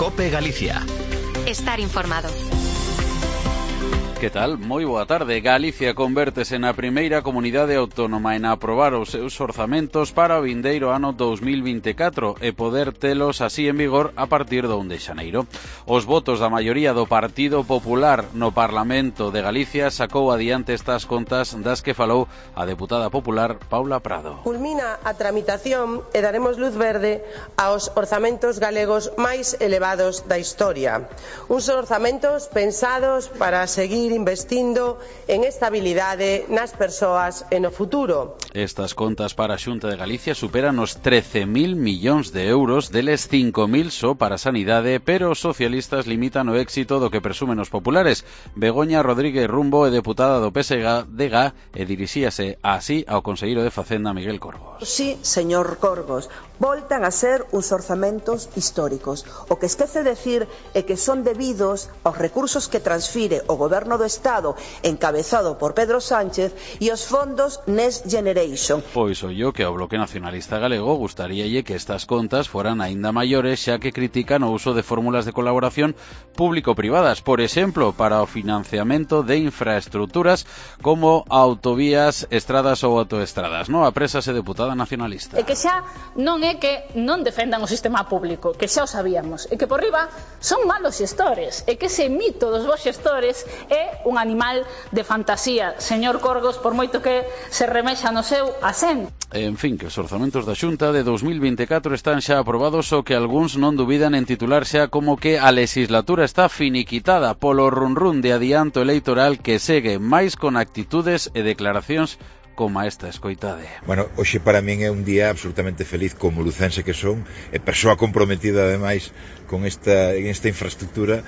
COPE Galicia. Estar informado. Que tal? Moi boa tarde. Galicia convértese na primeira comunidade autónoma en aprobar os seus orzamentos para o vindeiro ano 2024 e poder telos así en vigor a partir do 1 de xaneiro. Os votos da maioría do Partido Popular no Parlamento de Galicia sacou adiante estas contas das que falou a deputada popular Paula Prado. Culmina a tramitación e daremos luz verde aos orzamentos galegos máis elevados da historia. Uns orzamentos pensados para seguir investindo en estabilidade nas persoas e no futuro. Estas contas para a Xunta de Galicia superan os 13.000 millóns de euros, deles 5.000 só para a sanidade, pero os socialistas limitan o éxito do que presumen os populares. Begoña Rodríguez Rumbo é deputada do PSDG e dirixíase así ao conselleiro de Facenda Miguel Corgos. Sí, señor Corgos, voltan a ser uns orzamentos históricos. O que esquece decir é que son debidos aos recursos que transfire o Goberno do Estado encabezado por Pedro Sánchez e os fondos Next Generation. Pois ollo que ao Bloque Nacionalista Galego gustaríalle que estas contas foran aínda maiores, xa que critican o uso de fórmulas de colaboración público-privadas, por exemplo, para o financiamento de infraestructuras como autovías, estradas ou autoestradas. No, aprésase deputada nacionalista. E que xa non é que non defendan o sistema público, que xa o sabíamos, e que por riba son malos xestores, e que ese mito dos bons xestores é un animal de fantasía, señor Corgos, por moito que se remexa no seu asento. En fin, que os orzamentos da Xunta de 2024 están xa aprobados, o que algúns non dubidan en titular xa como que a legislatura está finiquitada polo run-run de adianto electoral que segue máis con actitudes e declaracións como esta, escoitade. Bueno, hoxe para min é un día absolutamente feliz como lucense que son, e persoa comprometida ademais con esta infraestructura.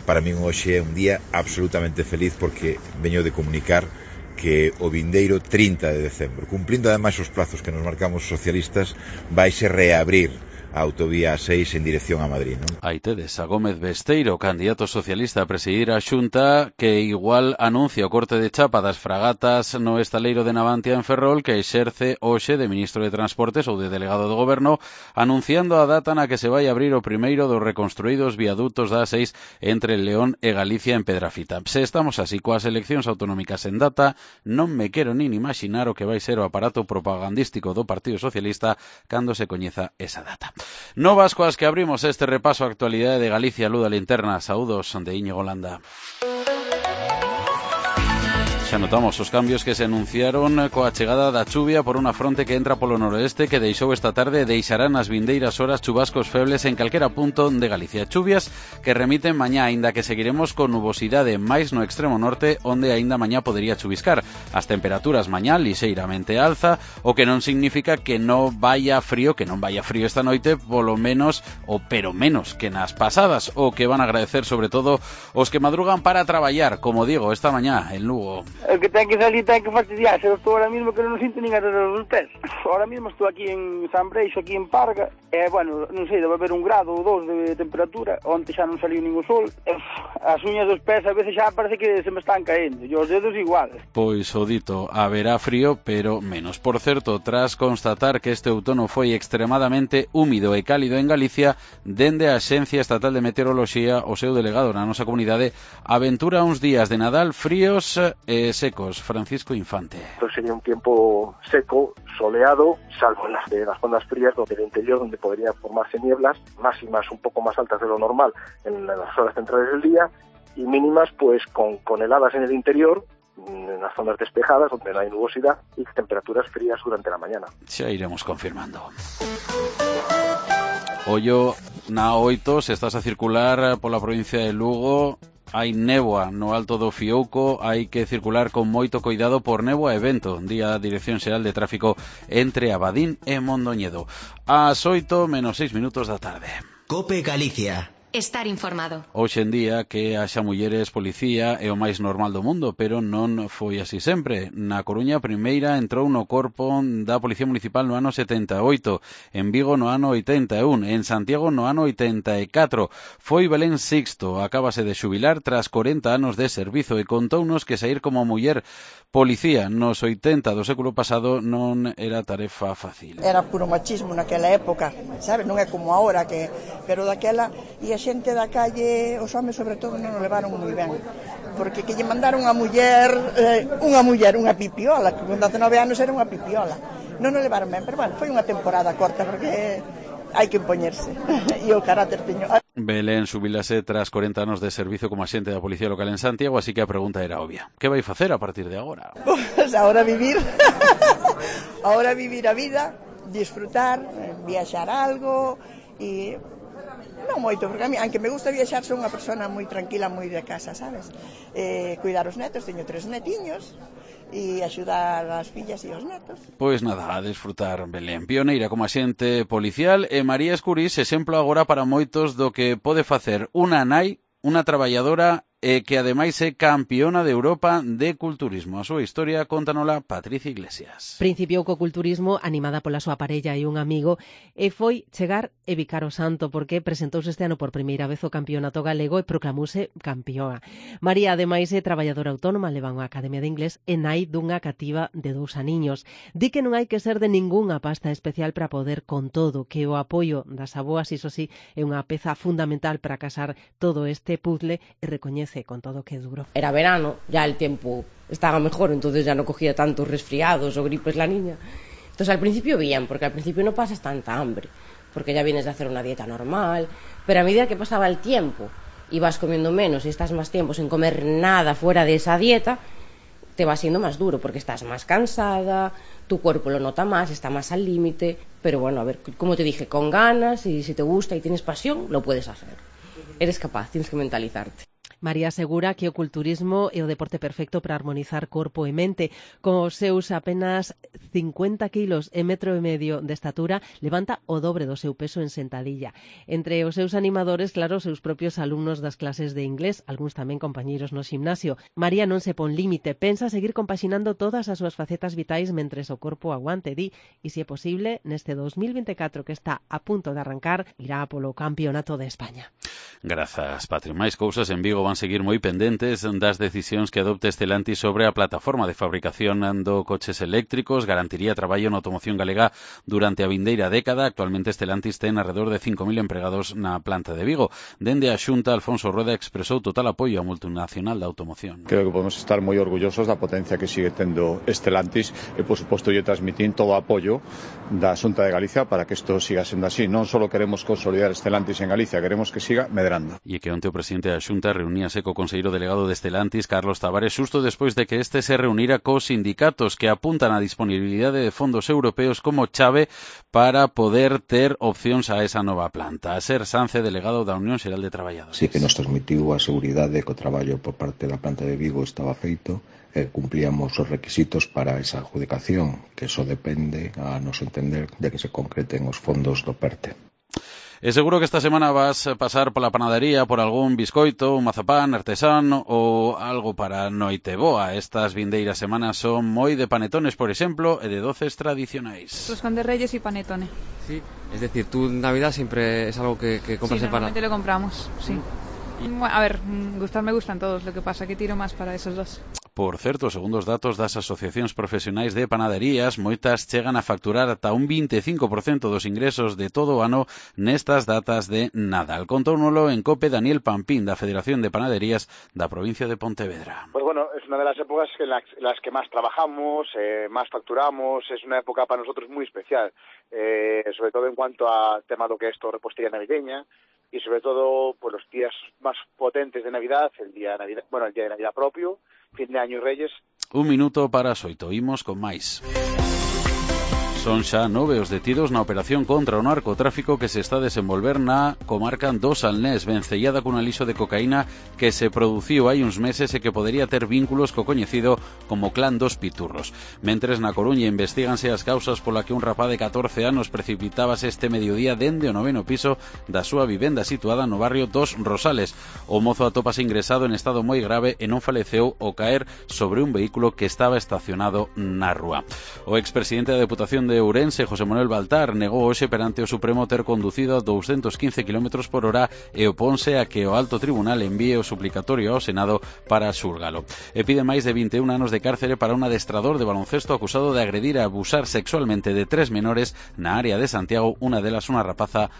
Para min hoxe é un día absolutamente feliz porque veño de comunicar que o vindeiro 30 de decembro, cumplindo ademais os plazos que nos marcamos os socialistas, vaise reabrir a autovía A6 en dirección a Madrid, non? Aí tedes a Gómez Besteiro, candidato socialista a presidir a Xunta, que igual anuncia o corte de chapa das fragatas no estaleiro de Navantia en Ferrol, que exerce hoxe de ministro de Transportes ou de delegado do Goberno, anunciando a data na que se vai abrir o primeiro dos reconstruídos viadutos da A6 entre León e Galicia en Pedrafita. Se estamos así coas eleccións autonómicas en data, non me quero nin imaginar o que vai ser o aparato propagandístico do Partido Socialista cando se coñeza esa data. Novas coas que abrimos este repaso á actualidade de Galicia. Luda Linterna, saúdos de Íñigo Landa. Xa notamos os cambios que se anunciaron coa chegada da chuvia por unha fronte que entra polo noroeste, que deixou esta tarde e deixará nas vindeiras horas chubascos febles en calquera punto de Galicia. Chuvias que remiten mañá, aínda que seguiremos con nubosidade máis no extremo norte, onde aínda mañá podería chuviscar. As temperaturas mañá lixeiramente alza, o que non significa que non vaya frío esta noite, polo menos, ou pero menos que nas pasadas, o que van a agradecer sobre todo os que madrugan para traballar, como digo, esta mañá en Lugo. El que ten que salir ten que fastidiarse. Eu estou ahora mismo que non sinto nin as dos pés. Ahora mismo estou aquí en San Breixo, aquí en Parga. Bueno, non sei, debe haber 1 grado ou 2 de temperatura. Onte xa non saliu ningún sol. As uñas dos pés a veces xa parece que se me están caendo. E os dedos igual. Pois o dito, haberá frío, pero menos. Por certo, tras constatar que este outono foi extremadamente húmido e cálido en Galicia, dende a Axencia Estatal de Meteoroloxía, o seu delegado na nosa comunidade aventura uns días de Nadal fríos e secos. Francisco Infante. Esto sería un tiempo seco, soleado, salvo en las zonas frías del interior, donde podrían formarse nieblas, máximas un poco más altas de lo normal en las horas centrales del día, y mínimas pues con heladas en el interior, en las zonas despejadas, donde no hay nubosidad, y temperaturas frías durante la mañana. Xa iremos confirmando. Ollo na 8, se estás a circular pola provincia de Lugo, hai néboa no alto do Fiouco, hai que circular con moito cuidado por néboa e vento, di a Dirección Xeral de Tráfico entre Abadín e Mondoñedo. Ás 8 menos 6 minutos da tarde. COPE Galicia. Estar informado. Hoxe en día que haxa mulleres policía é o máis normal do mundo, pero non foi así sempre. Na Coruña, a primeira entrou no corpo da Policía Municipal no ano 78, en Vigo no ano 81, en Santiago no ano 84. Foi Belén Sixto, acábase de xubilar tras 40 anos de servizo e contounos que sair como muller policía nos 80 do século pasado non era tarefa fácil. Era puro machismo naquela época. sabes? Non é como agora que, pero daquela, e a xente da calle, os homes sobre todo non o levaron moi ben, porque que lle mandaron unha muller, unha pipiola, que con 19 anos era unha pipiola, non o levaron ben, pero bueno, foi unha temporada corta, porque hai que impoñerse, e o carácter teño. Belén xubilase tras 40 anos de servizo como axente da Policía Local en Santiago, así que a pregunta era obvia. Que vai facer a partir de agora? Pues ahora vivir a vida, disfrutar, viaxar algo, e non moito, porque a mí, aunque me gusta viaxar, son unha persona moi tranquila, moi de casa, sabes? Cuidar os netos, teño 3 netiños, e axudar as fillas e os netos. Pois nada, a disfrutar, Belén. Pioneira como axente policial e María Escurís, exemplo agora para moitos do que pode facer unha nai, unha traballadora que ademais é campeona de Europa de culturismo. A súa historia contanola Patricia Iglesias. Principiou co culturismo animada pola súa parella e un amigo e foi chegar e bicar o santo porque presentouse este ano por primeira vez o campeonato galego e proclamouse campeona. María, ademais, é traballadora autónoma, leva unha academia de inglés e nai dunha cativa de 2 aniños. Di que non hai que ser de ningunha pasta especial para poder con todo, que o apoio das aboas, iso sí, é unha peza fundamental para casar todo este puzzle e recoñece con todo que é duro. Era verano, ya el tiempo estaba mejor, entonces ya no cogía tantos resfriados o gripes la niña. Entonces al principio bien, porque al principio no pasas tanta hambre, porque ya vienes de hacer una dieta normal, pero a medida que pasaba el tiempo y vas comiendo menos y estás más tiempo sin comer nada fuera de esa dieta, te va siendo más duro, porque estás más cansada, tu cuerpo lo nota más, está más al límite, pero bueno, a ver, como te dije, con ganas y si te gusta y tienes pasión, lo puedes hacer. Eres capaz, tienes que mentalizarte. María asegura que o culturismo é o deporte perfecto para armonizar corpo e mente. Con os seus apenas 50 kilos e 1,5 metros de estatura, levanta o dobre do seu peso en sentadilla. Entre os seus animadores, claro, os seus propios alumnos das clases de inglés, algúns tamén compañeiros no ximnasio. María non se pon límite, pensa seguir compaxinando todas as súas facetas vitais mentres o corpo aguante, di, e se é posible, neste 2024 que está a punto de arrancar, irá polo Campeonato de España. Grazas, Patri. Máis cousas en Vigo van seguir moi pendentes das decisións que adopte Stellantis sobre a plataforma de fabricación do coches eléctricos. Garantiría traballo na automoción galega durante a vindeira década. Actualmente Stellantis ten alrededor de 5.000 empregados na planta de Vigo. Dende a Xunta, Alfonso Rueda expresou total apoio á multinacional da automoción. Creo que podemos estar moi orgullosos da potencia que sigue tendo Stellantis e, por suposto, lle transmitín todo o apoio da Xunta de Galicia para que isto siga sendo así. Non só queremos consolidar Stellantis en Galicia, queremos que siga medrando. E que onte o presidente da Xunta reuníase co conselleiro delegado de Stellantis, Carlos Tavares, xusto despois de que este se reunira cos sindicatos que apuntan a disponibilidade de fondos europeos como chave para poder ter opcións a esa nova planta. A Ser Sance, delegado da Unión Xeral de Traballadores. Sí que nos transmitiu a seguridade que o traballo por parte da planta de Vigo estaba feito e cumplíamos os requisitos para esa adjudicación, que só depende, a noso entender, de que se concreten os fondos do PERTE. E seguro que esta semana vas a pasar pola panadería por algún biscoito, un mazapán artesán ou algo para noite boa. Estas vindeiras semanas son moi de panetones, por exemplo, e de doces tradicionais. Roscón de Reyes y panetone. Sí, es decir, tú en Navidad siempre es algo que compras en normalmente lo compramos, sí. A ver, gustar me gustan todos, lo que pasa que tiro más para esos dos. Por certo, segundo os datos das asociacións profesionais de panaderías, moitas chegan a facturar ata un 25% dos ingresos de todo o ano nestas datas de Nadal. Contóunolo en COPE Daniel Pampín, da Federación de Panaderías da provincia de Pontevedra. Pues bueno, es una de las épocas en las que más trabajamos, más facturamos, es una época para nosotros muy especial, sobre todo en cuanto a tema de lo que es todo repostería navideña, y sobre todo pues los días más potentes de Navidad, el día de Navidad propio, fin de año y Reyes. Un minuto para as 8, imos con máis. Son xa 9 os detidos na operación contra o narcotráfico que se está a desenvolver na comarca do Salnés, vencellada cun alixo de cocaína que se produciu hai uns meses e que podería ter vínculos co coñecido como Clan dos Piturros. Mentres na Coruña investiganse as causas pola que un rapaz de 14 anos precipitábase este mediodía dende o 9º piso da súa vivenda situada no barrio dos Rosales. O mozo atópase ingresado en estado moi grave e non faleceu ao caer sobre un vehículo que estaba estacionado na rúa. O expresidente da Deputación de de Ourense, José Manuel Baltar, negou hoxe perante o Supremo ter conducido a 215 km/h e oponse a que o Alto Tribunal envíe o suplicatorio ao Senado para xulgalo. E pide máis de 21 anos de cárcere para un adestrador de baloncesto acusado de agredir e abusar sexualmente de 3 menores na área de Santiago, unha delas unha rapaza